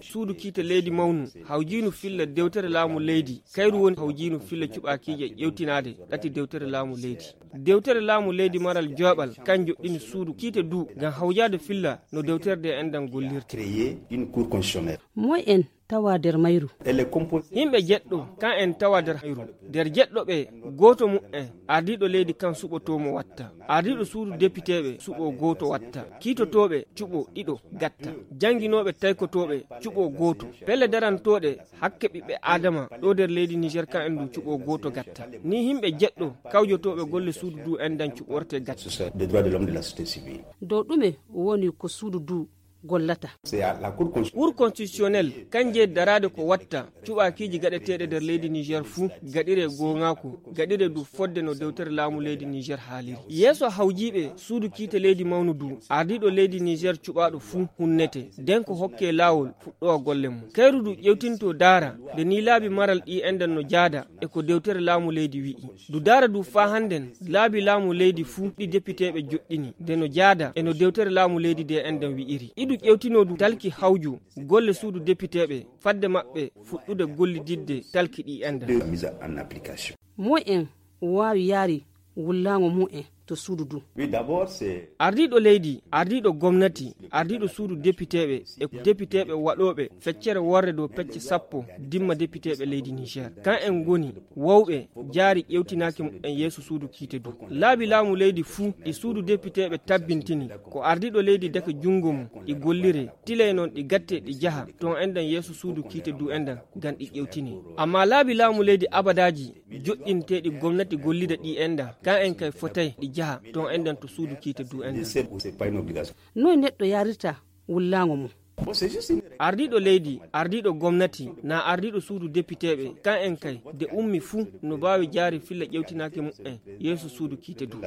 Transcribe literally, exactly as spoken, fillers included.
Suudu kiite leydi mawnu hawjiinu filla dewtere laamu leydi, kayru woni hawjiinu filla cuɓaakiije ƴewtinaade ɗati dewtere laamu leydi. Dewtere laamu leydi maral jooɓal kan joɗɗini suudu kiite du ngam hawjaade filla no dewtere de enɗan gollirta. Moy en tawa nder mayru. Yimɓe jeɗɗo kan en tawa nder hayru. Nder jeɗɗo ɓe, gooto mu'en ardiiɗo leydi kan suɓotoo mo watta. Ardiiɗo suudu depiteeɓe suɓoo gooto watta. Kiitotooɓe cuɓoo ɗiɗo gatta. Jannginooɓe taykotooɓe cuɓoo gooto. Pelle darantooɗe hakke ɓiɓɓe aadama ɗo nder leydi niger kan en du cuɓoo gooto gatta. Ni yimɓe jeɗɗo kawjotooɓe golle suudu du enɗan cuɓorte gatta. Dow ɗume woni ko suudu du gollata? Cour constitutionnel kan jeyi daraade ko watta cuɓaakiiji gaɗeteeɗe nder leydi niger fuu gaɗire goongaaku, gaɗire du fodde no dewtere laamu leydi niger haaliri. Yeeso hawjiiɓe suudu kiite leydi mawnu du, ardiiɗo leydi niger cuɓaaɗo fuu hunnete nden ko hokke laawol fuɗɗowa golle mum. Kayru du ƴewtinto daara nde ni laabi maral ɗi enɗan no jaada e ko dewtere laamu leydi wi'i. Du daara du faa hannden laabi laamu leydi fuu ɗi depiteeɓe joɗɗini nde no jaada e no dewtere laamu leydi de enɗan wi'iri. Iɗu ƴewtino du talki hawju golle suudu depiteeɓe fadde maɓɓe fuɗɗude gollididde talki ɗi enɗan. Moy en waawi yaari wullaango mu'en to suudu du? Ardiiɗo leydi, ardiiɗo gomnati, ardiiɗo suudu depiteeɓe e depiteeɓe waɗooɓe feccere worre dow pecce sappo dimma depiteeɓe leydi niger kan en ngoni wowɓe jaari ƴewtinaaki mu'en yeeso suudu kiite du. Laabi laamu leydi fuu ɗi suudu depiteeɓe tabbintini ko ardiiɗo leydi dake junngo mum ɗi gollire, tilay noon ɗi gatte ɗi jaha toon enɗan yeeso suudu kiite du enɗan ngam ɗi ƴewtine. Amma laabi laamu leydi abadaaji joɗɗinteeɗi gomnati gollida ɗi enɗan kan en kay fotay ɗi jaha toon enɗan to suudu kiite du enɗan. Noy neɗɗo yarirta wullaango mum? Ardiiɗo leydi, ardiiɗo gomnati, na ardiiɗo suudu depiteeɓe kan en kay de ummi fuu no baawi jaari filla ƴewtinaaki mu'en yeeso suudu kiite du.